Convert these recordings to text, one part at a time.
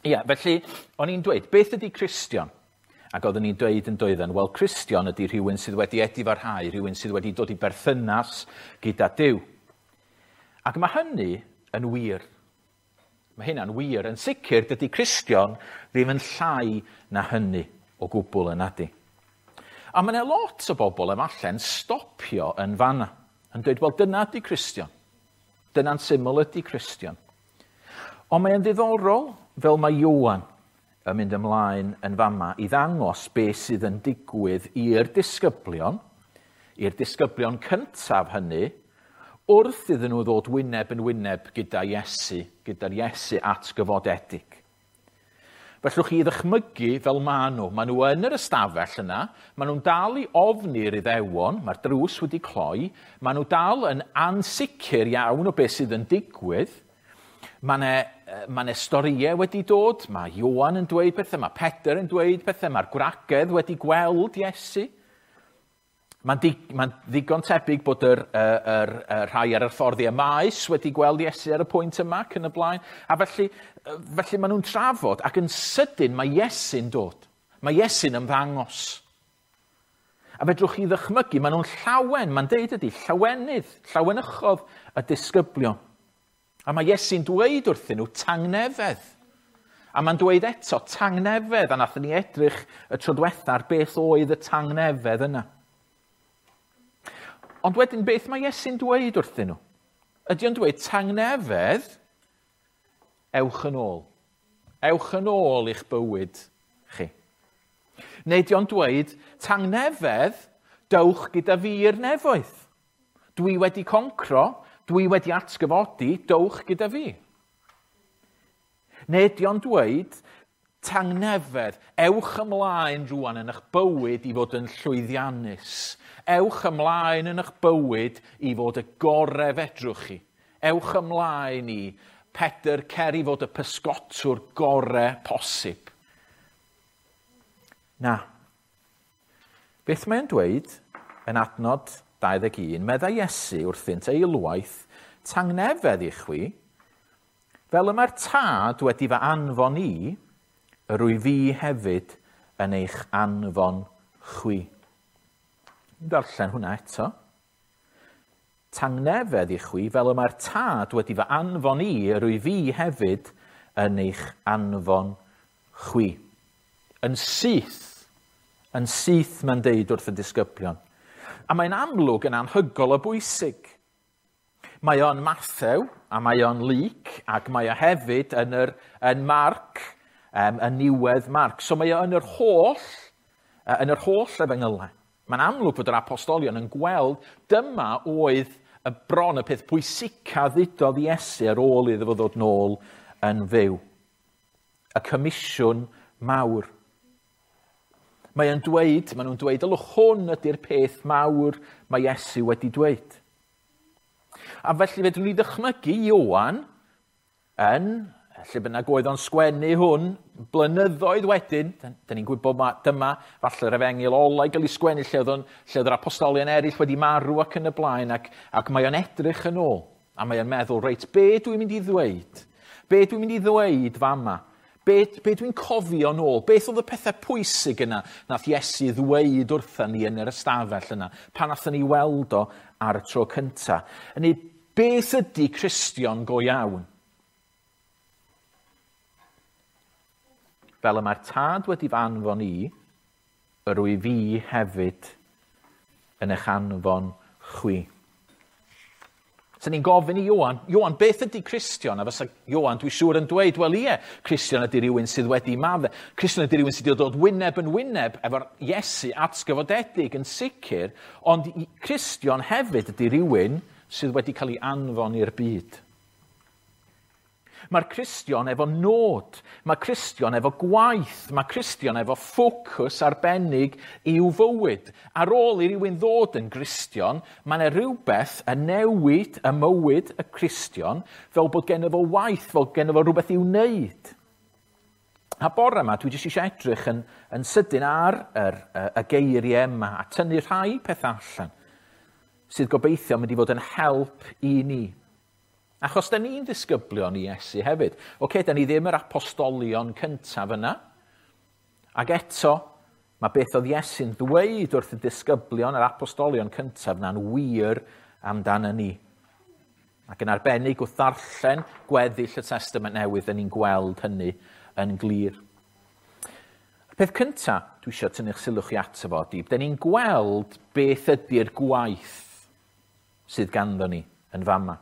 Ia, felly, o'n i'n dweud, beth ydy Cristion? Ac oeddwn i'n dweud yn doedden, wel, Cristion ydy rhywun sydd wedi edifarhau, rhywun sydd wedi dod i berthynas gyda Duw. Ac mae hynny yn wir. Mae hynna'n wir. Yn sicr, dydy Cristion ddim yn llai na hynny o gwbl yn adi. A mae yna lot o bobl efallai'n stopio yn fanna, yn dweud, wel, dyna ydy Cristion. Dyna'n syml ydy Cristion. Ond mae'n ddiddorol, fel mae Ioan yn mynd ymlaen yn fama i ddangos beth sydd yn digwydd i'r disgyblion, i'r disgyblion cyntaf hynny, wrth iddyn nhw ddod wyneb yn wyneb gyda Iesu, gyda'r Iesu atgyfodedig. Fellwch chi ddychmygu fel maen nhw. Maen nhw yn yr ystafell yna, maen nhw'n dal i ofni'r Iddewon, mae'r drws wedi cloi, maen nhw dal yn ansicr iawn o beth sydd yn digwydd. Mae yna ma storïau wedi dod, mae Ioan yn dweud pethau, mae Pedr yn dweud pethau, mae'r gwragedd wedi gweld Iesu. Mae'n di, mae ddigon tebyg bod yr, yr, yr, yr rhai ar y ffordd i Emmaus wedi gweld Iesu ar y pwynt yma ac yn y blaen. A felly, felly maen nhw'n trafod ac yn sydyn mae Iesu'n dod. Mae Iesu'n ymddangos. A fedrwch chi ddychmygu, maen nhw'n llawen, mae'n deud ydy, llawenydd, llawenychodd y disgyblion. A mae Iesu'n dweud wrthyn nhw tangnefedd. A mae'n dweud eto tangnefedd, a nathon ni edrych y tro diwetha ar beth oedd y tangnefedd yna. Ond wedyn, beth mae Iesu'n dweud wrthyn nhw? Ydy o'n dweud, tangnefedd, ewch yn ôl. Ewch yn ôl i'ch bywyd chi. Neu ydy o'n dweud, tangnefedd, dewch gyda fi i'r nefoedd. Dwi wedi concro, dwi wedi atgyfodi, dewch gyda fi. Neu ydy o'n dweud, tangnefedd, ewch ymlaen rwan yn eich bywyd i fod yn llwyddiannus. Ewch ymlaen yn eich bywyd i fod y gorau fedrwch chi. Ewch ymlaen i Pedr cer i fod y pysgotwr gorau posib. Na. Beth mae'n dweud yn adnod 21, meddai Iesu wrthynt eilwaith, tangnefedd i chwi, fel y mae'r tad wedi fy anfon i, yr wyf fi hefyd yn eich anfon chwi. Darllen hwnna eto. Tangnefedd i chwi, fel y mae'r tad wedi fy anfon i, yr wyf fi hefyd yn eich anfon chwi. Yn syth, yn syth mae'n deud wrth y disgyblion. A mae'n amlwg yn anhygol o bwysig. Mae o'n Mathew, a mae o'n Luc, ac mae o hefyd yn, yr, yn Marc, yn niwedd Marc. So mae o yn yr holl, yn yr holl efengylau. Mae'n amlwg fod yr apostolion yn gweld dyma oedd y bron y peth pwysica ddudodd Iesu ar ôl iddo fo ddod nôl yn fyw. Y comisiwn mawr. Mae o'n dweud, maen nhw'n dweud, ylwch hwn ydy'r peth mawr mae Iesu wedi dweud. A felly fedrwn ni ddychmygu Ioan yn, lle bynnag oedd o'n sgwennu hwn, blynyddoedd wedyn, dyn ni'n gwybod ma, dyma falle'r efengyl ola i gael ei sgwennu lle oedd, on, lle oedd yr apostolion eraill wedi marw ac yn y blaen, ac, ac mae o'n edrych yn ôl, a mae o'n meddwl, reit, be dwi'n mynd i ddweud? Be dwi'n mynd i ddweud fama? Be, be dwi'n cofio nôl? Beth oedd y pethau pwysig yna nath Iesu ddweud wrtha ni yn yr ystafell yna, pan nathon ni weld o ar y tro cynta? Yny, beth ydy Cristion go iawn? Fel y mae'r tad wedi fy anfon i, yr wyf fi hefyd yn eich anfon chwi. So ni'n gofyn i Ioan, Ioan, beth ydy Cristion? A fysa Ioan, dwi'n siŵr, yn dweud, wel ie, Cristion ydy rhywun sydd wedi madde. Cristion ydy rhywun sydd wedi dod wyneb yn wyneb efo'r Iesu atgyfodedig yn sicr, ond Cristion hefyd ydy rhywun sydd wedi cael ei anfon i'r byd. Mae'r Cristion efo nod, mae Cristion efo gwaith, mae Cristion efo ffocws arbennig i'w fywyd. Ar ôl i rywun ddod yn Gristion, mae yna rhywbeth yn newid y mywyd y Cristion fel bod gen fo waith, fel gen fo rhywbeth i'w wneud. A bore yma, dwi jyst eisiau edrych yn, yn sydyn ar yr, y, y geiriau yma a tynnu rhai pethau allan sydd gobeithio mynd i fod yn help i ni. Achos da ni'n ddisgyblion i Iesu hefyd. Oce, da ni ddim yr apostolion cyntaf yna. Ac eto, mae beth oedd Iesu'n ddweud wrth y disgyblion, yr apostolion cyntaf na'n wir amdano ni. Ac yn arbennig wrth ddarllen gweddill y Testament Newydd, da ni'n gweld hynny yn glir. Y peth cyntaf dwi eisiau tynnu'ch sylw chi ato fo ydy, da ni'n gweld beth ydy'r gwaith sydd ganddo ni yn fama.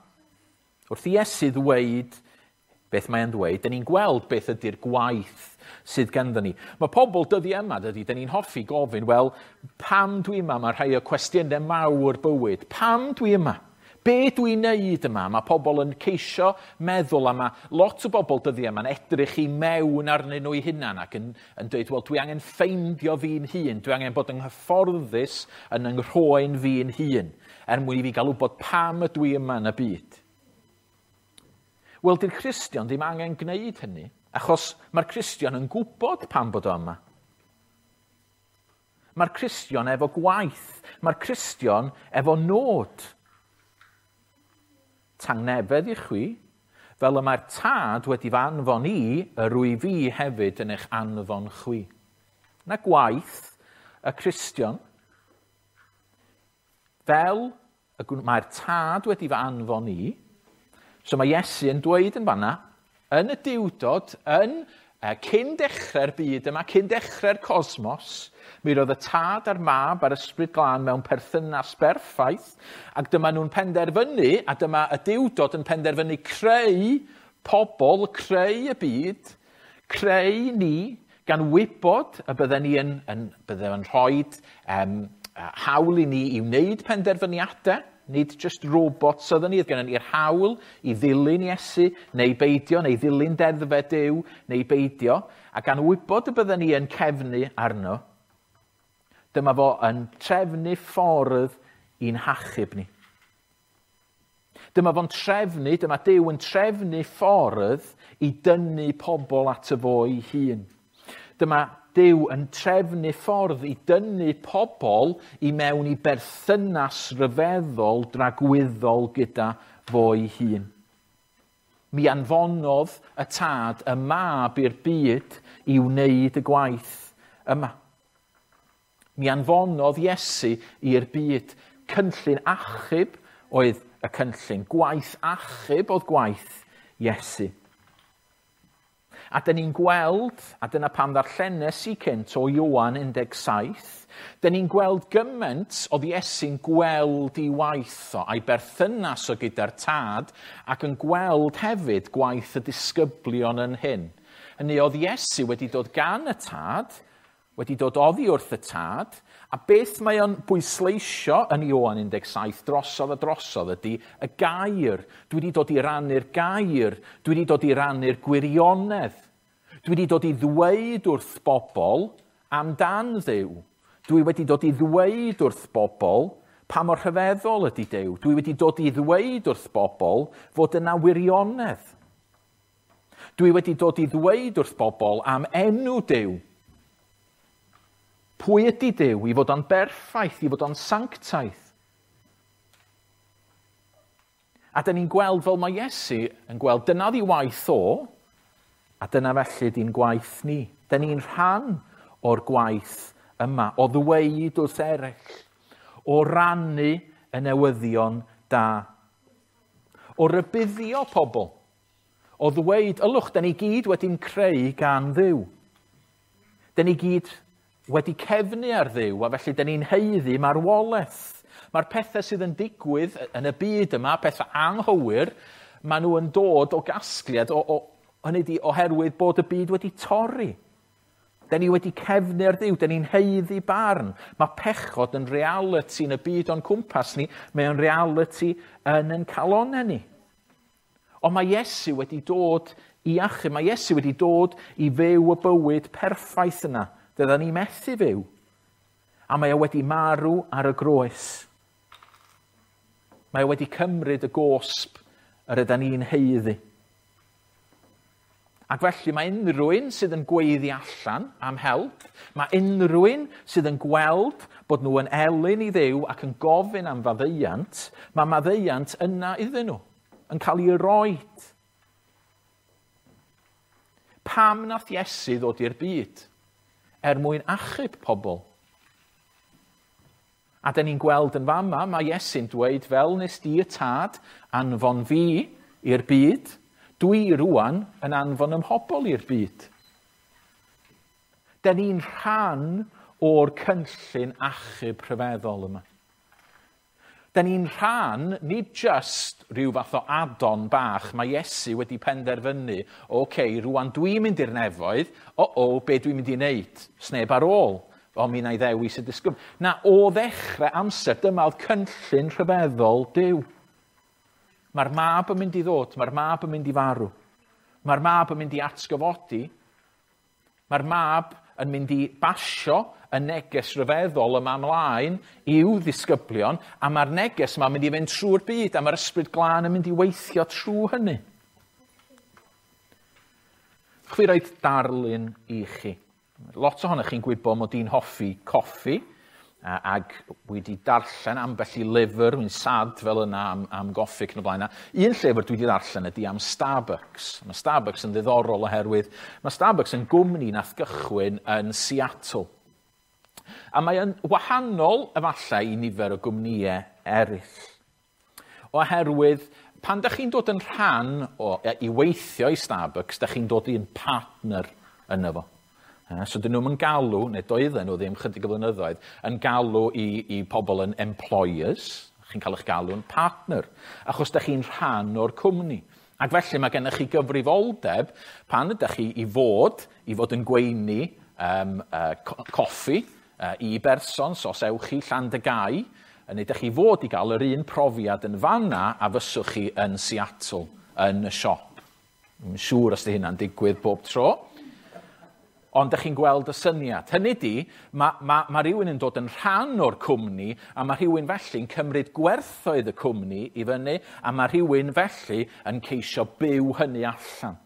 Wrth i Iesu ddweud beth mae'n ddweud, da ni'n gweld beth ydy'r gwaith sydd ganddo ni. Mae pobl dyddiau yma, dydy, da ni'n hoffi gofyn, wel, pam dwi yma? Mae rhai o cwestiynau mawr bywyd. Pam dwi yma? Be dwi'n neud yma? Mae pobl yn ceisio meddwl, a mae lot o bobl dyddiau yma'n edrych i mewn arnyn nhw eu hunan ac yn dweud, wel, dwi angen ffeindio fi'n hun, dwi angen bod yn hyfforddus yn yng nghroen fi'n hun, er mwyn i fi gael wybod pam ydw i yma yn y byd. Wel, di'r Cristion ddim angen gwneud hynny, achos mae'r Cristion yn gwybod pam bod o yma. Mae'r Cristion efo gwaith, mae'r Cristion efo nod. Tangnefedd i chwi, fel y mae'r Tad wedi fy anfon i, yr wyf fi hefyd yn eich anfon chwi. Na gwaith y Cristion, fel mae'r Tad wedi fy anfon i, so mae Iesu yn dweud yn fanna, yn y diwdod, yn cyn dechrau'r byd yma, cyn dechrau'r cosmos, mi roedd y Tad a'r Mab a'r Ysbryd Glân mewn perthynas berffaith, ac dyma nhw'n penderfynu, a dyma y diwdod yn penderfynu creu pobl, creu y byd, creu ni, gan wybod y bydden ni bydden yn rhoi hawl i ni i wneud penderfyniadau, nid just robots oedden ni, oedd gennym ni'r hawl i ddilyn Iesu, neu beidio, neu ddilyn deddfau Duw, neu beidio, a gan wybod y bydden ni yn cefnu arno, dyma fo yn trefnu ffordd i'n hachub ni. Dyma fo'n trefnu, dyma Duw yn trefnu ffordd i dynnu pobl at y fo ei hun. Dyma Duw yn trefnu ffordd i dynnu pobl i mewn i berthynas ryfeddol dragwyddol gyda fo'i hun. Mi anfonodd y Tad y Mab i'r byd i wneud y gwaith yma. Mi anfonodd Iesu i'r byd. Cynllun achub oedd y cynllun. Gwaith achub oedd gwaith Iesu. A dyn ni'n gweld, a dyna pam ddarllenes i cynt o Ioan 17, dyn ni'n gweld gymaint oedd Iesu'n gweld ei waith o, a'i berthynas o gyda'r Tad, ac yn gweld hefyd gwaith y disgyblion yn hyn. Hynny oedd Iesu wedi dod gan y Tad, wedi dod oddi wrth y Tad, a beth mae o'n bwysleisio yn Ioan 17 drosodd a drosodd ydy y gair. Dwi wedi dod i rannu'r gair, dwi wedi dod i rannu'r gwirionedd. Dwi wedi dod i ddweud wrth bobl amdan Dduw. Dwi wedi dod i ddweud wrth bobl pa mor rhyfeddol ydy Duw. Dwi wedi dod i ddweud wrth bobl fod yna wirionedd. Dwi wedi dod i ddweud wrth bobl am enw Duw. Pwy ydy Duw? I fod o'n berffaith, i fod o'n sanctaidd. A dyn ni'n gweld fel mae Iesu yn gweld, dyna ddi waith o, a dyna felly di'n gwaith ni. Dyn ni'n rhan o'r gwaith yma, o ddweud wrth eraill, o rannu y newyddion da, o rybuddio pobl, o ddweud, ylwch, dyn ni gyd wedi'n creu gan Dduw. Dyn ni gyd wedi cefnu ar Dduw, a felly dyn ni'n haeddu marwolaeth. Mae'r pethau sydd yn digwydd yn y byd yma, pethau anghywir, maen nhw yn dod o gasgliad, hynny ydi oherwydd bod y byd wedi torri. Dyn ni wedi cefnu ar Dduw, dyn ni'n haeddu barn. Mae pechod yn reality yn y byd o'n cwmpas ni, mae o'n reality yn ein calonnau ni. Ond mae Iesu wedi dod i achub, mae Iesu wedi dod i fyw y bywyd perffaith yna. Dydyn ni methu fyw. A mae o wedi marw ar y groes. Mae o wedi cymryd y gosb yr ydyn ni'n haeddu. Ac felly mae unrhyw un sydd yn gweiddi allan am help, mae unrhyw un sydd yn gweld bod nhw yn elyn i Dduw ac yn gofyn am faddeuant, mae maddeuant yna iddyn nhw. yn cael ei roed. Pam nath Iesu ddod i'r byd? Er mwyn achub pobl. A da ni'n gweld yn fama, mae Iesu'n dweud, fel nes di y tad anfon fi i'r byd, dwi rwan yn anfon ymhobol i'r byd. Da ni'n rhan o'r cynllun achub rhyfeddol yma. Da ni'n rhan, nid just rhyw fath o add-on bach, mae Iesu wedi penderfynu, oce, okay, rwan dwi'n mynd i'r nefoedd, o, be dwi'n mynd i wneud? Sneb ar ôl, o mi na i ddewis y disgybl. Na, o ddechrau amser, dyma oedd cynllun rhyfeddol Duw. Mae'r mab yn mynd i ddod, mae'r mab yn mynd i farw. Mae'r mab yn mynd i atgyfodi. Mae'r mab yn mynd i basio y neges rhyfeddol yma ymlaen i'w ddisgyblion, a mae'r neges yma'n mynd i fynd trwy'r byd, a mae'r ysbryd glân yn mynd i weithio trwy hynny. Chwi roed darlun i chi. Lot ohonych chi'n gwybod mod i'n hoffi coffi, ac wedi darllen ambell i lyfr, wy'n sad fel yna am goffi ac yn y blaen. Un llyfr dwi wedi darllen ydy am Starbucks. Mae Starbucks yn ddiddorol oherwydd mae Starbucks yn gwmni nath gychwyn yn Seattle. A mae yn wahanol efallai i nifer o gwmnïau eraill. Oherwydd pan da chi'n dod yn rhan o, i weithio i Starbucks, da chi'n dod i'n partner yno fo. So dyn nhw'n galw, neu doedden nhw ddim chydig o flynyddoedd, yn galw i pobl yn employers, chi'n cael eich galw yn partner, achos da chi'n rhan o'r cwmni. Ac felly mae gennych chi gyfrifoldeb pan ydych chi i fod yn gweini coffi i berson, so os ewch chi Llandygái, neu ydych chi fod i gael yr un profiad yn fanna a fyswch chi yn Seattle, yn y siop. Dwi'n siŵr os di hynna'n digwydd bob tro. Ond ydych chi'n gweld y syniad. Hynny di, mae rhywun yn dod yn rhan o'r cwmni, a mae rhywun felly'n cymryd gwerthoedd y cwmni i fyny, a mae rhywun felly yn ceisio byw hynny allan.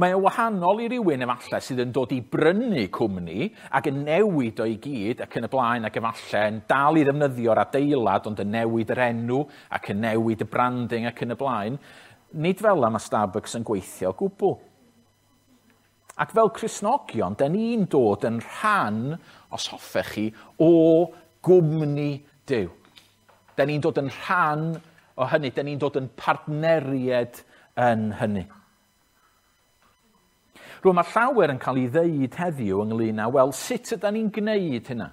Mae o'n wahanol i rywun efallai sydd yn dod i brynu cwmni ac yn newid o'i gyd ac yn y blaen ac efallai yn dal i ddefnyddio'r adeilad ond yn newid yr enw ac yn newid y branding ac yn y blaen. Nid fel yma mae Starbucks yn gweithio o gwbl. Ac fel Cristnogion, da ni'n dod yn rhan, os hoffech chi, o gwmni Duw. Da ni'n dod yn rhan o hynny, da ni'n dod yn partneried yn hynny. Rwy'n mae llawer yn cael ei ddeud heddiw ynglyn â, wel, sut ydan ni'n gwneud hynna?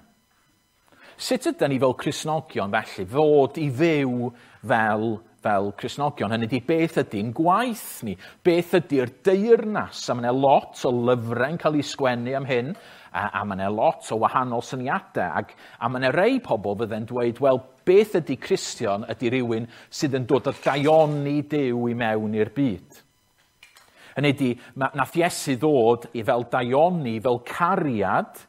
Sut ydan ni fel Cristnogion felly fod i fyw fel Cristnogion? Hynny ydi, beth ydy'n gwaith ni? Beth ydy'r deyrnas? A mae yna lot o lyfrau'n cael ei sgwennu am hyn, a mae yna lot o wahanol syniadau. A mae yna rei pobl fydde'n dweud, wel, beth ydy Cristion ydy rhywun sydd yn dod â daioni Duw i mewn i'r byd. Hynny ydi, nath Iesu ddod i fel daioni, fel cariad,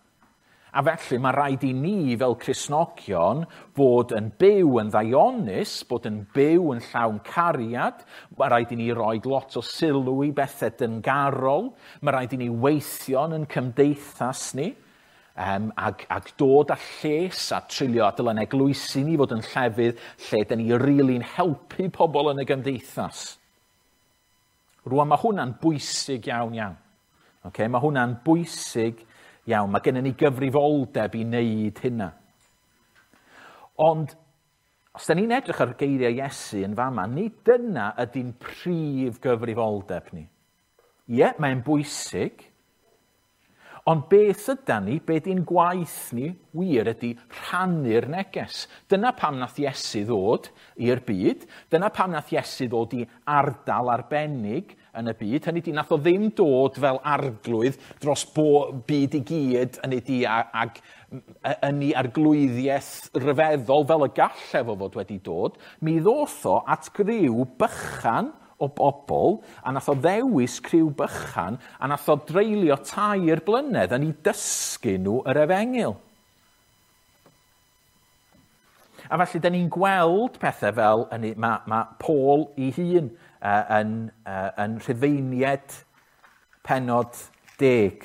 a felly mae rhaid i ni fel Cristnogion fod yn byw yn ddaionus, bod yn byw yn llawn cariad, mae rhaid i ni roi lot o sylw i bethau dyngarol, mae rhaid i ni weithio yn cymdeithas ni, ac dod â lles a treulio a dylen eglwysi ni fod yn llefydd lle dyn ni rili'n helpu pobl yn y gymdeithas. Rwan mae hwnna'n bwysig iawn iawn. Okay? Mae hwnna'n bwysig iawn. Mae gennym ni gyfrifoldeb i wneud hynna. Ond, os da ni'n edrych ar geiriau Iesu yn fama, nid dyna ydy'n prif gyfrifoldeb ni. Ie, mae'n bwysig, ond beth ydan ni, beth ydy'n gwaith ni, wir ydy rhannu'r neges. Dyna pam nath Iesu ddod i'r byd, dyna pam nath Iesu ddod i ardal arbennig yn y byd. Hynny ydy, nath o ddim dod fel arglwydd dros byd i gyd, hynny ydy, ag yn ei arglwyddiaeth ryfeddol fel y gallai fo fod wedi dod. Mi ddoth o at griw bychan o bobl, a nath o ddewis criw bychan, a nath o dreulio 3 blynedd yn ei dysgu nhw yr efengyl. A felly, da ni'n gweld pethau fel, mae Paul ei hun yn Rhufeiniaid pennod 10.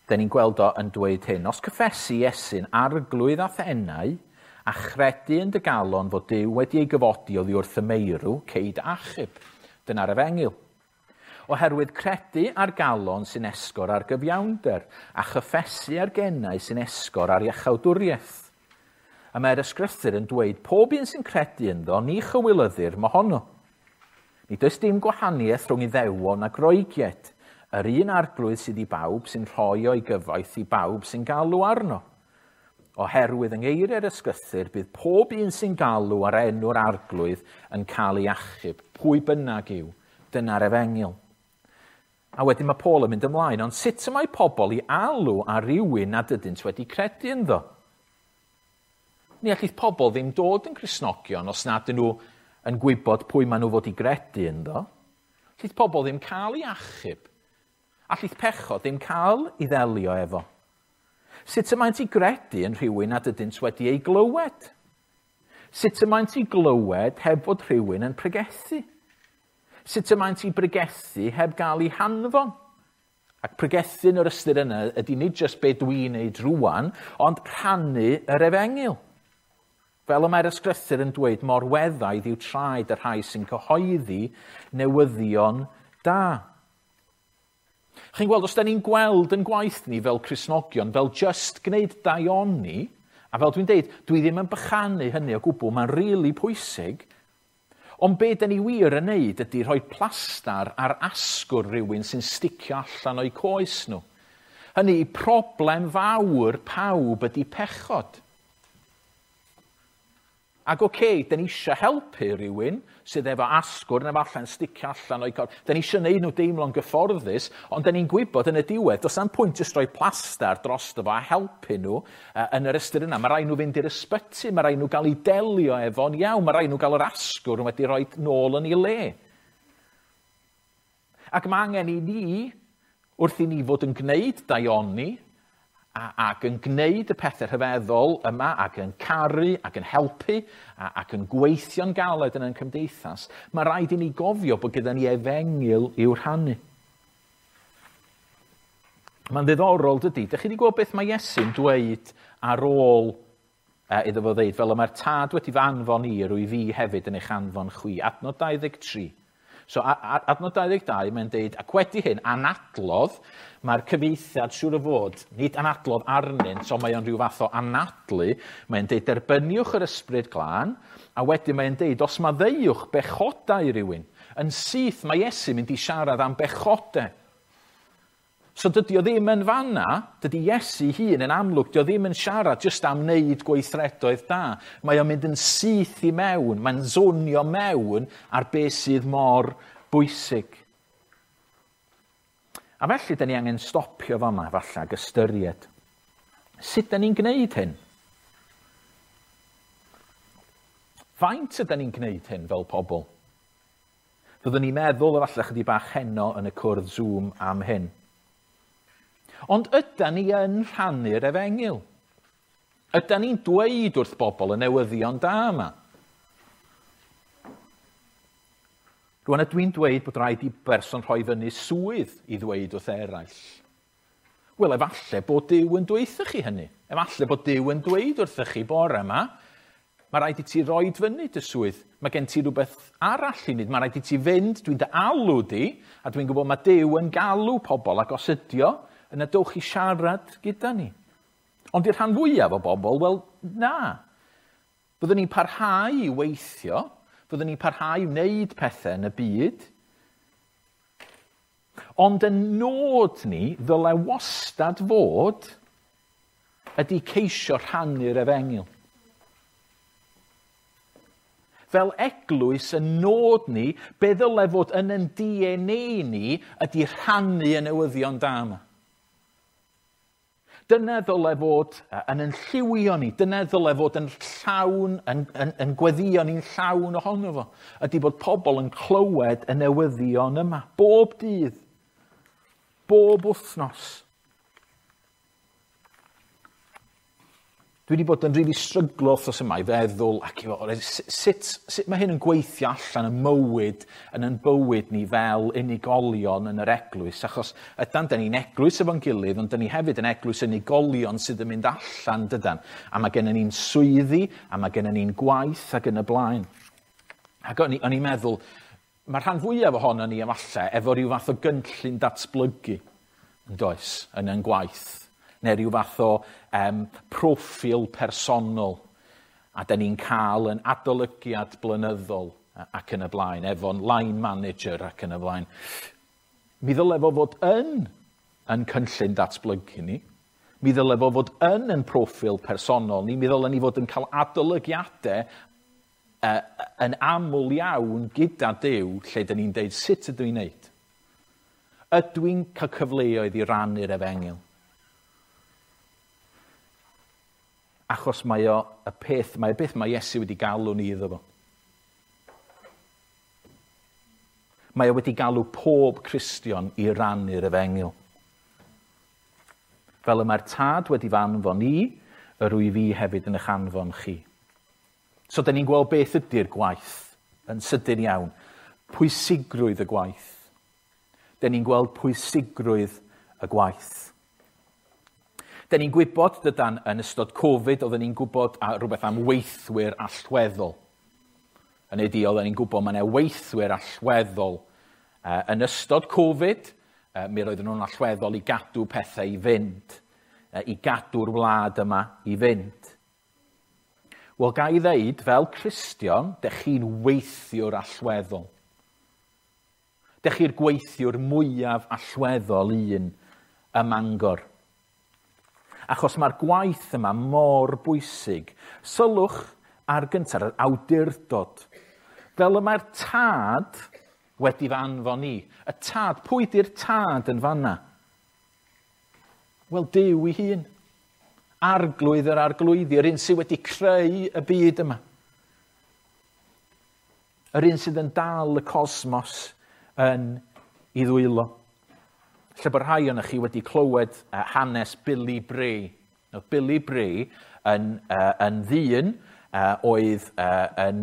Da ni'n gweld o yn dweud hyn. Os cyffesu Iesu'n arglwydd a thenau, a chredu yn dy galon fod Duw wedi ei gyfodi oddi wrth y meirw, ceid achub. Dyna'r efengyl. Oherwydd credu ar galon sy'n esgor ar gyfiawnder, a chyffesu ar gennau sy'n esgor ar iachawdwriaeth. A mae'r ysgrythur yn dweud pob un sy'n credu ynddo, ni chywilyddir mohono. Nid oes dim gwahaniaeth rhwng Iddewon a Groegiaid. Yr un arglwydd sydd i bawb sy'n rhoi o'i gyfoeth i bawb sy'n galw arno. Oherwydd yng ngeiriau'r ysgrythur bydd pob un sy'n galw ar enw'r arglwydd yn cael ei achub, pwy bynnag yw. Dyna'r efengyl. A wedyn mae Paul yn mynd ymlaen, ond sut y mae pobl i alw ar rywun nad ydynt wedi credu ynddo? Ni allith pobl ddim dod yn Gristnogion os nad ydyn nhw yn gwybod pwy maen nhw fod i gredu ynddo. Allith pobl ddim cael ei achub. Allith pechod ddim cael ei ddelio efo. Sut y maent i gredu yn rhywun nad ydynt wedi ei glywed? Sut y maent i glywed heb fod rhywun yn pregethu? Sut y maent i bregethu heb gael ei hanfon? Ac pregethu yn yr ystyr yna ydy nid jyst be dwi'n neud rwan, ond rhannu yr efengyl. Fel y mae'r ysgrythur yn dweud, mor weddaidd yw traed y rhai sy'n cyhoeddi newyddion da. Chi'n gweld, os da ni'n gweld yn gwaith ni fel Cristnogion, fel just gwneud daioni, a fel dwi'n deud, dwi ddim yn bychanu hynny o gwbl, mae'n rili really pwysig, ond be da ni wir yn neud ydy rhoi plastar ar asgwr rhywun sy'n sticio allan o'i coes nhw. Hynny, problem fawr pawb ydy pechod. Ac oce, okay, da ni eisiau helpu rhywun sydd efo asgwrn efallai'n sticio allan o'i corff. Da ni eisiau neud nhw deimlo'n gyfforddus, ond da ni'n gwybod yn y diwedd, does na'm pwynt jyst rhoi plastar drosto fo a helpu nhw yn yr ystyr yna. Mae rhaid nhw fynd i'r ysbyty, mae rhaid nhw gael eu delio efo'n iawn, mae rhaid nhw gael yr asgwrn wedi rhoi nôl yn ei le. Ac mae angen i ni, wrth i ni fod yn gwneud daioni, ac yn gwneud y pethau rhyfeddol yma, ac yn caru, ac yn helpu, ac yn gweithio'n galed yn ein cymdeithas, mae rhaid i ni gofio bod gyda ni efengyl i'w rhannu. Mae'n ddiddorol, dydy. Dych chi wedi gweld beth mae Iesu'n dweud ar ôl iddo fo ddeud, fel y mae'r tad wedi fy anfon i, rwy fi hefyd yn eich anfon chwi. Adnod 23. So, adnod 22, mae'n deud, ac wedi hyn, anadlodd, mae'r cyfieithiad siŵr o fod, nid anadlodd arnynt, ond mae o'n rhyw fath o anadlu, mae'n deud, derbyniwch yr ysbryd glân, a wedyn mae'n deud, os maddeuwch bechodau rhywun, yn syth mae Iesu mynd i siarad am bechodau. So dydy o ddim yn fanna, dydy Iesu hun yn amlwg, dydy o ddim yn siarad jyst am wneud gweithredoedd da. Mae o'n mynd yn syth i mewn, mae'n zonio mewn ar beth sydd mor bwysig. A felly, da ni angen stopio fama, falle, ac ystyried. Sut da ni'n gwneud hyn? Faint ydyn ni'n gwneud hyn fel pobl? Fyddwn ni'n meddwl efallai chydig bach heno yn y cwrdd Zoom am hyn. Ond ydan ni yn rhannu'r efengyl? Ydan ni'n dweud wrth bobl y newyddion da yma? Rwan ydw i'n dweud bod rhaid i berson rhoi fyny swydd i ddweud wrth eraill. Wel, efallai bod Duw yn dweud chi hynny. Efallai bod Duw yn dweud wrthych chi bore yma, mae rhaid i ti roed fyny dy swydd. Mae gen ti rhywbeth arall i wneud. Mae rhaid i ti fynd, dwi'n dy alw di, a dwi'n gwybod mae Duw yn galw pobl, ac os ydi o, yna dowch i siarad gyda ni. Ond i'r rhan fwyaf o bobl, wel, na. Byddwn ni'n parhau i weithio, byddwn ni'n parhau i wneud pethau yn y byd, ond y nod ni ddyle wastad fod ydy ceisio rhannu'r efengyl. Fel eglwys, y nod ni, be ddyle fod yn ein DNA ni ydy rhannu y newyddion da yma. Dyna ddyle fod yn ein lliwio ni, dyna ddyle fod yn llawn, yn gweddio ni'n llawn ohono fo, ydy bod pobl yn clywed y newyddion yma, bob dydd, bob wythnos. Dwi wedi bod yn rili really stryglo wrthos yma i feddwl ac i fod, sut mae hyn yn gweithio allan y mywyd, yn yn bywyd ni fel unigolion yn yr eglwys, achos ydan, da ni'n eglwys efo'n gilydd, ond da ni hefyd yn eglwys unigolion sydd yn mynd allan, dydan. A mae gennym ni'n swyddi, a mae gennym ni'n gwaith ac yn y blaen. Ac o'n i'n meddwl, mae'r rhan fwyaf ohono ni efallai efo rhyw fath o gynllun datblygu, yn does, yn yn gwaith neu rhyw fath o proffil personol, a da ni'n cael yn adolygiad blynyddol ac yn y blaen, efo'n line manager ac yn y blaen. Mi ddyle fo fod yn cynllun datblygu ni. Mi ddyle fo fod yn proffil personol ni. Mi ddyle ni fod yn cael adolygiadau yn aml iawn gyda Duw, lle dyn ni'n deud sut ydw i'n neud. Ydw i'n cael cyfleoedd i rannu'r efengyl? Achos mae o y peth, mae y beth mae Iesu wedi galw ni iddo fo. Mae o wedi galw pob Cristion i rannu'r efengyl. Fel y mae'r Tad wedi fy anfon i, yr wyf fi hefyd yn eich anfon chi. So, da ni'n gweld beth ydy'r gwaith yn sydyn iawn. Pwysigrwydd y gwaith. Da ni'n gweld pwysigrwydd y gwaith. Da ni'n gwybod, dydan, yn ystod Covid, oedden ni'n gwybod rhywbeth am weithwyr allweddol. Yn ydi, oedden ni'n gwybod mae yna weithwyr allweddol. Yn ystod Covid, mi roedden nhw'n allweddol i gadw pethau i fynd, i gadw'r wlad yma i fynd. Wel, ga i ddeud, fel Cristion, dych chi'n weithiwr allweddol. Dych chi'r gweithiwr mwyaf allweddol un ym Mangor. Achos mae'r gwaith yma mor bwysig. Sylwch ar gyntaf, yr awdurdod. Fel y mae'r Tad wedi fy anfon i. Y Tad, pwy di'r Tad yn fanna? Wel, Duw ei hun. Arglwydd yr arglwyddi, yr un sydd wedi creu y byd yma. Yr un sydd yn dal y cosmos yn ei ddwylo. Lle bod rhai ohonoch chi wedi clywed hanes Billy Bray. Oedd Billy Bray yn ddyn oedd yn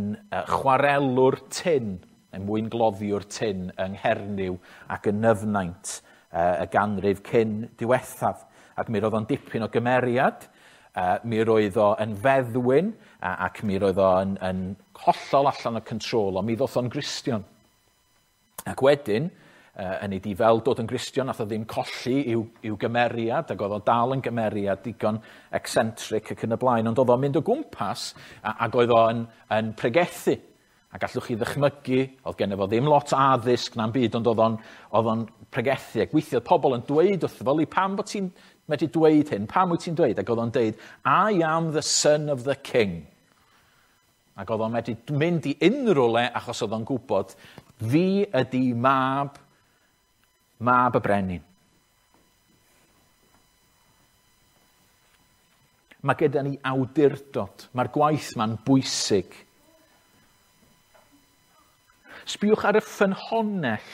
chwarelwr tin, yn mwyngloddiwr tin yng Nghernyw ac yn Nyfnaint y ganrif cyn diwethaf. Ac mi roedd o'n dipyn o gymeriad, mi roedd o yn feddwyn ac mi roedd o yn hollol allan o control, ond mi ddoth o'n Gristion. Ac wedyn, yn ei di fel dod yn Gristion, nath o ddim colli i'w gymeriad, ac oedd o dal yn gymeriad digon eccentric ac yn y blaen, ond oedd o'n mynd o gwmpas ac oedd o'n yn pregethu. A gallwch chi ddychmygu, oedd genno fo ddim lot o addysg na'n byd, ond oedd o'n pregethu. Ac weithiodd pobl yn dweud wrtho fo, pam bod ti'n medru dweud hyn? Pam wyt ti'n dweud? Ac oedd o'n dweud, I am the son of the king. Ac oedd o'n medru mynd i unrhyw le achos oedd o'n gwybod, fi ydi mab y brenin. Mae gyda ni awdurdod. Mae'r gwaith ma'n bwysig. Sbiwch ar y ffynhonnell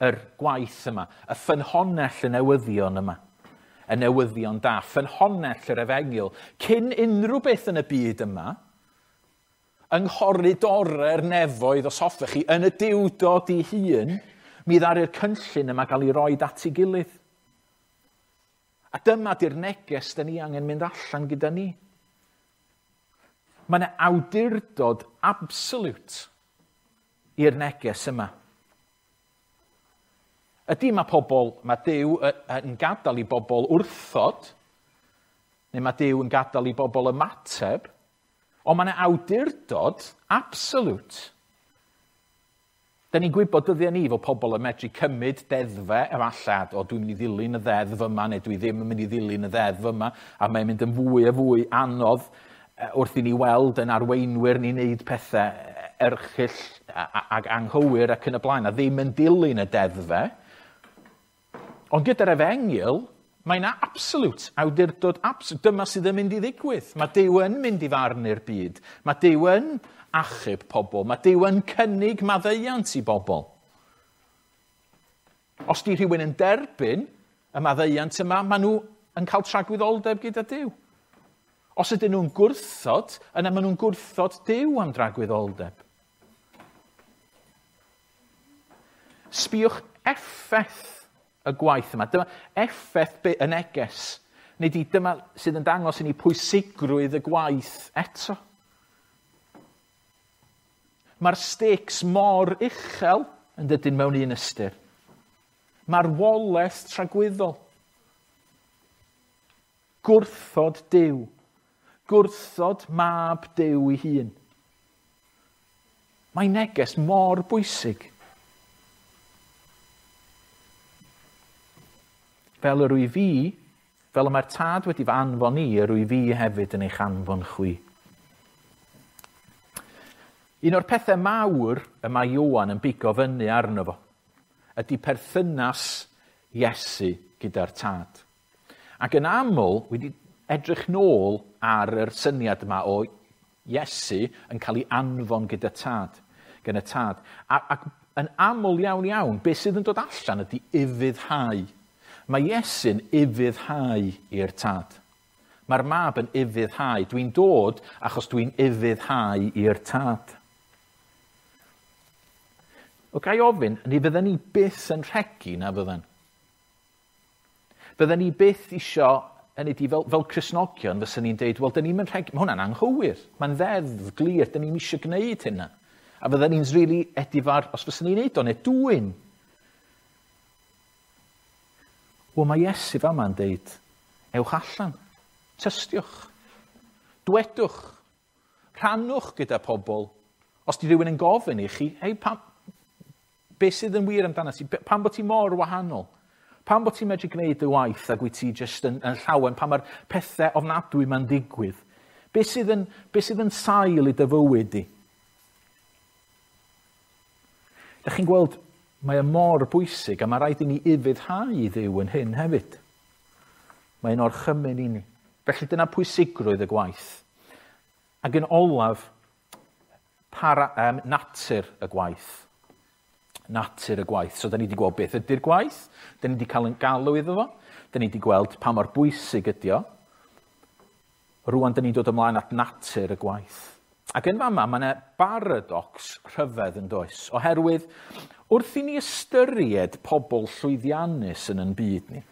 yr gwaith yma, y ffynhonnell y newyddion yma, y newyddion da, ffynhonnell yr efengyl. Cyn unrhyw beth yn y byd yma, yng nghoridorau'r nefoedd, os hoffech chi, yn y Duwdod ei hun, mi ddaru'r cynllun yma gael ei roed at ei gilydd. A dyma di'r neges da ni angen mynd allan gyda ni. Mae yna awdurdod absolute i'r neges yma. Ydy mae pobl, mae Duw yn gadael i bobl wrthod, neu mae Duw yn gadael i bobl ymateb, ond mae yna awdurdod absolute. Da ni'n gwybod dyddiau ni fod pobl yn medru cymryd deddfau efallai, o dwi'n mynd i ddilyn y ddeddf yma, neu dwi ddim yn mynd i ddilyn y ddeddf yma, a mae'n mynd yn fwy a fwy anodd wrth i ni weld yn arweinwyr ni'n neud pethau erchyll ac anghywir ac yn y blaen, a ddim yn dilyn y deddfau. Ond gyda'r efengyl, mae yna absolute, awdurdod absolute. Dyma sydd yn mynd i ddigwydd. Mae Duw yn mynd i farnu'r byd. Mae Duw yn achub pobl. Mae Duw yn cynnig maddeuant i bobl. Os di rhywun yn derbyn y maddeuant yma, maen nhw yn cael tragwyddoldeb gyda Duw. Os ydyn nhw'n gwrthod, yna maen nhw'n gwrthod Duw am dragwyddoldeb. Sbiwch effaith y gwaith yma. Dyma effaith y neges. Nid i dyma sydd yn dangos i ni pwysigrwydd y gwaith eto. Mae'r stakes mor uchel yn dydyn mewn un ystyr. Marwolaeth tragwyddol. Gwrthod Duw. Gwrthod mab Duw ei hun. Mae neges mor bwysig. Fel yr wyf fi, fel y mae'r Tad wedi fy anfon i, yr wyf fi hefyd yn eich anfon chwi. Un o'r pethau mawr y mae Ioan yn bigo fyny arno fo ydy perthynas Iesu gyda'r Tad. Ac yn aml, wedi edrych nôl ar yr syniad yma o Iesu yn cael ei anfon gyda Tad, gan y Tad. Ac yn aml iawn iawn, beth sydd yn dod allan ydy ufuddhau. Mae Iesu'n ufuddhau i'r Tad. Mae'r mab yn ufuddhau. Dwi'n dod achos dwi'n ufuddhau i'r Tad. O ga i ofyn, ni fydden ni byth yn rhegi na fydden? Fydden ni byth isio, hynny ydi, fel Cristnogion, fysen ni'n deud, wel, dyn ni'n rhegi, mae hwnna'n anghywir, mae'n ddeddf glir, dyn ni'n isio gwneud hynna. A fydden ni'n rili edifar, os fysen ni'n neud o, neu dwyn. Wel, mae Iesu fama'n deud, ewch allan, tystiwch, dwedwch, rhannwch gyda pobl. Os di rhywun yn gofyn i chi, hei, pam, beth sydd yn wir amdano ti? Pam bod ti mor wahanol? Pam bod ti'n medru gwneud dy waith ac wyt ti jyst yn llawen? Pam mae'r pethau ofnadwy ma'n digwydd? Beth sydd yn sail i dy fywyd di? Dych chi'n gweld, mae e mor bwysig a mae rhaid i ni ufuddhau i Dduw yn hyn hefyd. Mae'n orchymyn i ni. Felly dyna pwysigrwydd y gwaith. Ac yn olaf, natur y gwaith. Natur y gwaith. So, da ni wedi gweld beth ydy'r gwaith, da ni wedi cael yn galw iddo fo, da ni wedi gweld pa mor bwysig ydy o. Rŵan, da ni'n dod ymlaen at natur y gwaith. Ac yn fama, mae yna paradox rhyfedd yn does. Oherwydd, wrth i ni ystyried pobl llwyddiannus yn ein byd ni,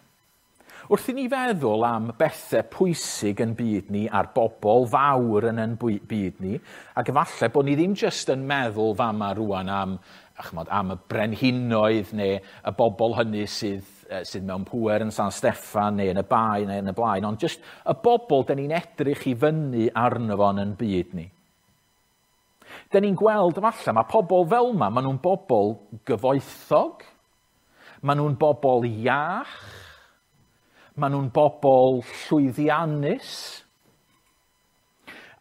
wrth i ni feddwl am bethau pwysig yn byd ni a'r bobl fawr yn ein byd ni, ac efallai bod ni ddim jyst yn meddwl fama rŵan am y brenhinoedd neu y bobl hynny sydd mewn pŵer yn San Steffan neu yn y Bae neu yn y blaen, ond jyst y bobl da ni'n edrych i fyny arno fo yn ein byd ni. Da ni'n gweld efallai, mae pobl fel yma, maen nhw'n bobl gyfoethog, maen nhw'n bobl iach, maen nhw'n bobl llwyddiannus.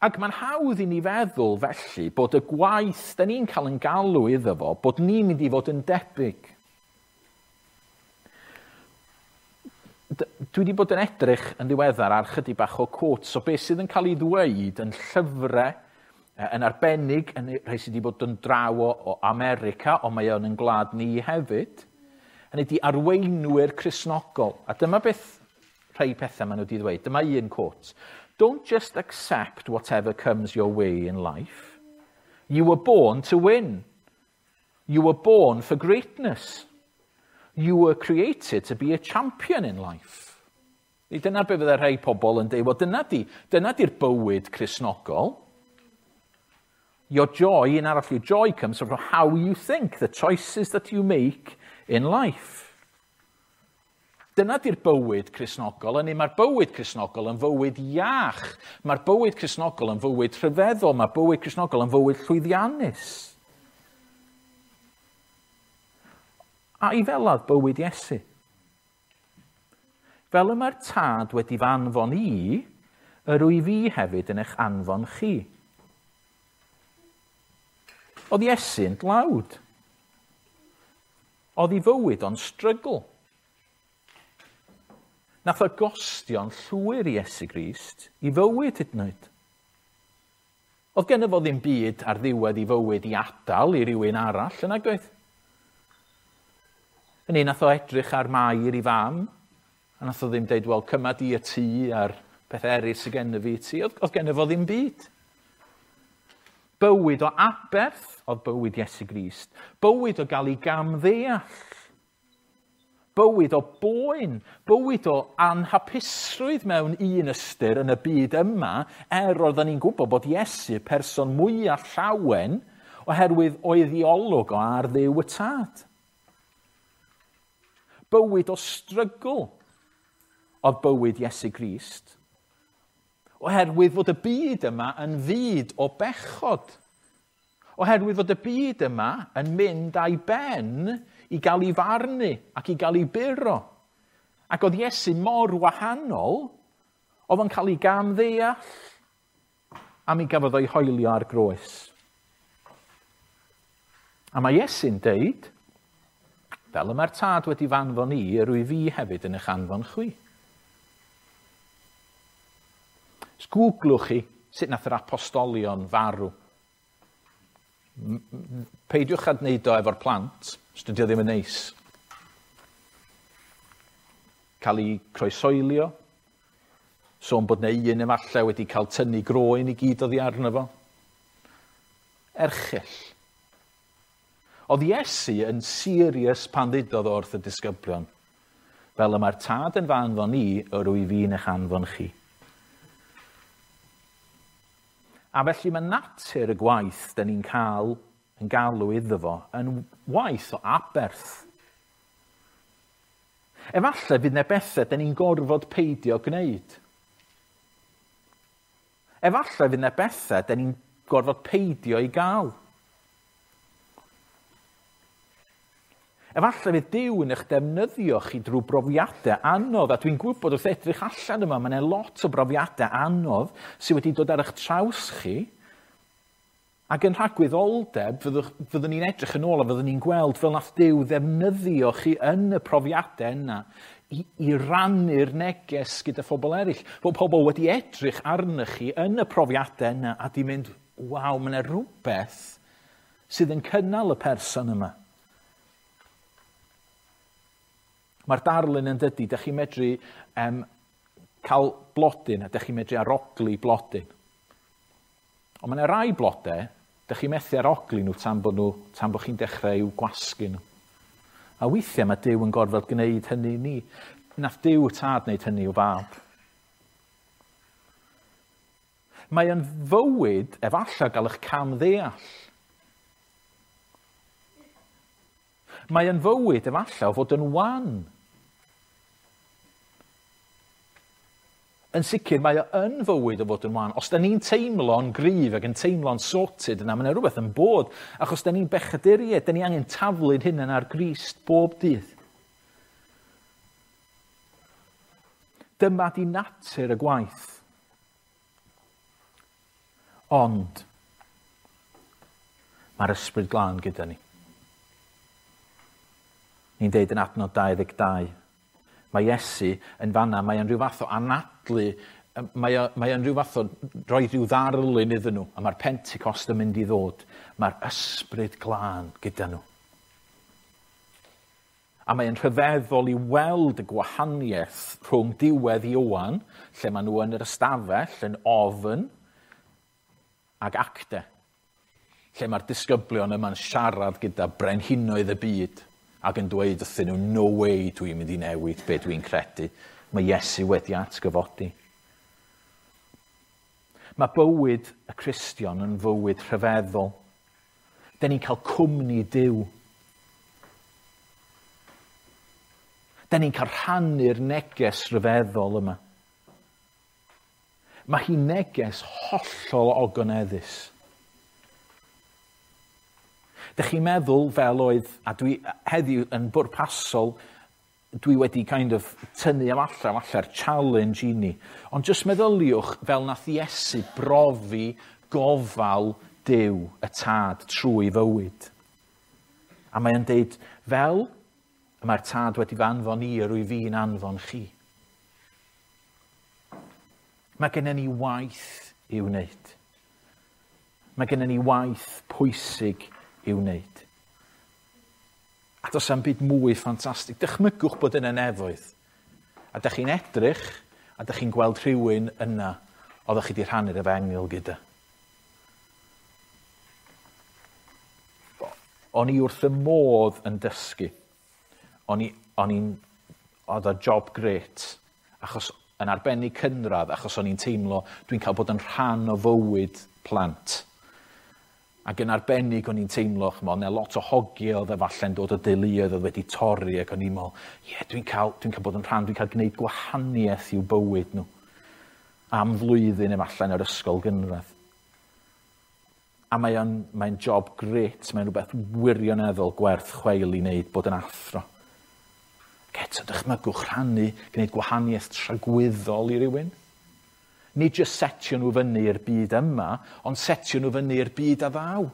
Ac mae'n hawdd i ni feddwl felly bod y gwaith da ni'n cael yn galw iddo fo, bod ni'n mynd i fod yn debyg. Dwi wedi bod yn edrych yn ddiweddar ar chydig bach o quotes o beth sydd yn cael ei ddweud yn llyfrau, yn arbennig, yn rhai sydd wedi bod yn draw o America, ond mae o'n yn gwlad ni hefyd. Hynny ydi arweinwyr Cristnogol. A dyma beth rhai pethau maen nhw wedi ddweud. Dyma un quote. Don't just accept whatever comes your way in life. You were born to win. You were born for greatness. You were created to be a champion in life. Dyna be fydde rhai pobl yn dweud, wel, dyna di'r bywyd Cristnogol. Your joy, yn arall, your joy comes from how you think, the choices that you make in life. Dyna di'r bywyd Cristnogol, a mae'r bywyd Cristnogol yn fywyd iach. Mae'r bywyd Cristnogol yn fywyd rhyfeddol. Mae'r bywyd Cristnogol yn fywyd llwyddiannus. A i feladd bywyd Iesu. Fel y mae'r Tad wedi fy anfon i, yr wyf fi hefyd yn eich anfon chi. Oedd Iesu'n dlawd. Oedd ei fywyd o'n strygl. Nath o gostio'n llwyr i Iesu Grist i fywyd hyd yn oed. Oedd genno fo ddim byd ar ddiwedd i fywyd i adael i rywun arall, yn nag oedd? Yn un nath o edrych ar Mair i fam, a nath o ddim deud, wel, cyma di y tŷ a'r Pethau eraill sydd gennym fi i ti. Oedd gennym fo ddim byd. Bywyd o aberth oedd bywyd Iesu Grist. Bywyd o gael ei gamddeall. Bywyd o boen. Bywyd o anhapusrwydd mewn un ystyr yn y byd yma, er oedden ni'n gwybod bod Iesu person mwyaf llawen oherwydd oedd ei olwg o ar Dduw y Tad. Bywyd o strygl oedd bywyd Iesu Grist. Oherwydd fod y byd yma yn fyd o bechod. Oherwydd fod y byd yma yn mynd â'i ben i gael ei farnu ac i gael ei buro. Ac oedd Iesu mor wahanol, oedd o'n cael ei gamddeall, a mi gafodd o'i hoelio ar groes. A mae Iesu'n deud, fel y mae'r Tad wedi f'anfon i, yr wyf fi hefyd yn eich anfon chwi. Googlwch chi sut nath yr apostolion farw. Peidiwch â gwneud o efo'r plant, os dydy o ddim yn neis. Cael ei croesoelio, sôn bod 'na un efallai wedi cael tynnu groen i gyd oddi arno fo. Erchyll. Oedd Iesu yn serious pan ddudodd o wrth y disgyblion, fel y mae'r Tad yn fy anfon i, yr wyf fi'n eich anfon chi. A felly mae natur y gwaith da ni'n cael yn galw iddo fo yn waith o aberth. Efallai fydd 'na bethau da ni'n gorfod peidio gwneud. Efallai fydd 'na bethau da ni'n gorfod peidio i gael. Efallai fydd Duw yn eich defnyddio chi drwy brofiadau anodd, a dwi'n gwybod wrth edrych allan yma, mae yna lot o brofiadau anodd sydd wedi dod ar eich traws chi, ac yn rhagwyddoldeb, fyddwn ni'n edrych yn ôl a fyddwn ni'n gweld fel nath Duw ddefnyddio chi yn y profiadau yna i rannu'r neges gyda phobl eraill. Bod pobl wedi edrych arnych chi yn y profiadau yna a di mynd, waw, mae yna rhywbeth sydd yn cynnal y person yma. Mae'r darlun yn dydy, dych chi'n medru cael blodyn a dych chi'n medru arogli blodyn. Ond mae yna rai blodau, dych chi'n methu arogli nhw tan bod chi'n dechrau i'w gwasgu nhw. A weithiau mae Duw yn gorfod gwneud hynny i ni. Nath Duw y Tad wneud hynny i'w fab. Mae yn fywyd efallai gael eich camddeall. Mae yn fywyd efallai o fod yn wan. Yn sicr, mae o yn fywyd o fod yn wan. Os da ni'n teimlo'n gryf ac yn teimlo'n sorted yna, mae yna rhywbeth yn bod. Achos da ni'n bechaduriaid, da ni angen taflu'n hunain ar Grist bob dydd. Dyma di natur y gwaith. Ond, mae'r Ysbryd Glân gyda ni. Ni'n deud yn adnod 22, mae Iesu yn fanna, mae o'n rhyw fath o anadlu, mae o'n rhyw fath o roi rhyw ddarlun iddyn nhw, a mae'r Pentecost yn mynd i ddod. Mae'r Ysbryd Glân gyda nhw. A mae'n rhyfeddol i weld y gwahaniaeth rhwng diwedd Ioan, lle maen nhw yn yr ystafell, yn ofn, ac Acte, lle mae'r disgyblion yma'n siarad gyda brenhinoedd y byd ac yn dweud wrthyn nhw, no way dwi'n mynd i newid be dwi'n credu. Mae Iesu wedi atgyfodi. Mae bywyd y Cristion yn fywyd rhyfeddol. Da ni'n cael cwmni Duw. Da ni'n cael rhannu'r neges rhyfeddol yma. Mae hi'n neges hollol ogoneddus. Dych chi'n meddwl fel oedd, a dwi heddiw yn bwrpasol, dwi wedi kind of tynnu am allan, falla'r challenge i ni. Ond jyst meddyliwch fel nath Iesu brofi gofal Duw y Tad trwy fywyd. A mae o'n deud, fel y mae'r Tad wedi fy anfon i, yr wyf fi'n anfon chi. Mae gennym ni waith i'w wneud. Mae gennym ni waith pwysig i'w wneud. A does am byd mwy ffantastig. Dychmygwch bod yn y nefoedd. A dych chi'n edrych, A dych chi'n gweld rhywun yna oeddech chi wedi rhannu'r efengyl gyda. O'n i wrth y modd yn dysgu. O'n i, o'n i'n, oedd o job grêt, achos yn arbennig cynradd, achos o'n i'n teimlo dwi'n cael bod yn rhan o fywyd plant. Ac yn arbennig o'n i'n teimlo, ch'mo', 'na lot o hogie oedd efallai'n dod o deuluoedd oedd wedi torri ac o'n i'n meddwl, ie, yeah, dwi'n cael, dwi cael bod yn rhan, dwi'n cael gwneud gwahaniaeth i'w bywyd nhw. Am flwyddyn efallai yn yr ysgol gynradd. A mae o'n mae job grêt, mae'n rhywbeth wirioneddol gwerth chweil i wneud bod yn athro. Ac eto, dychmygwch rhannu, gwneud gwahaniaeth tragwyddol i rywun. Nid jyst setio nhw fyny i'r byd yma, ond setio nhw fyny i'r byd a ddaw.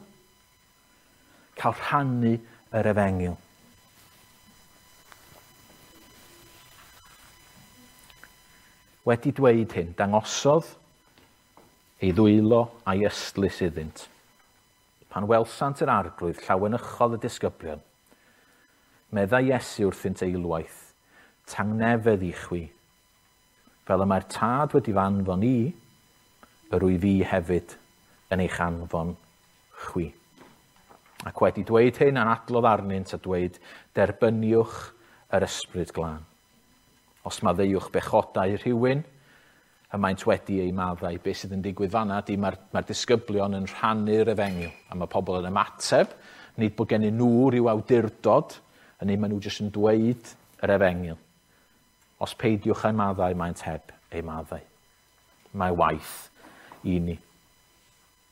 Cael rhannu yr efengyl. Wedi dweud hyn, dangosodd ei ddwylo a'i ystlys iddynt. Pan welsant yr arglwydd, llawenychodd y disgyblion. Meddai Iesu wrthynt eilwaith, tangnefedd i chwi. Fel y mae'r tad wedi fy anfon i, yr wyf fi hefyd yn eich anfon chwi. Ac wedi dweud hyn, anadlodd arnynt a dweud, derbyniwch yr ysbryd glân. Os maddeuwch bechodau rhywun, y maent wedi eu maddau. Be sydd yn digwydd fanna ydy mae'r mae disgyblion yn rhannu'r efengyl, a mae pobl yn ymateb, nid bod gennyn nhw rhyw awdurdod, hynny maen nhw jyst yn dweud yr efengyl. Os peidiwch â'i maddau, maent heb eu maddau. Mae waith i ni.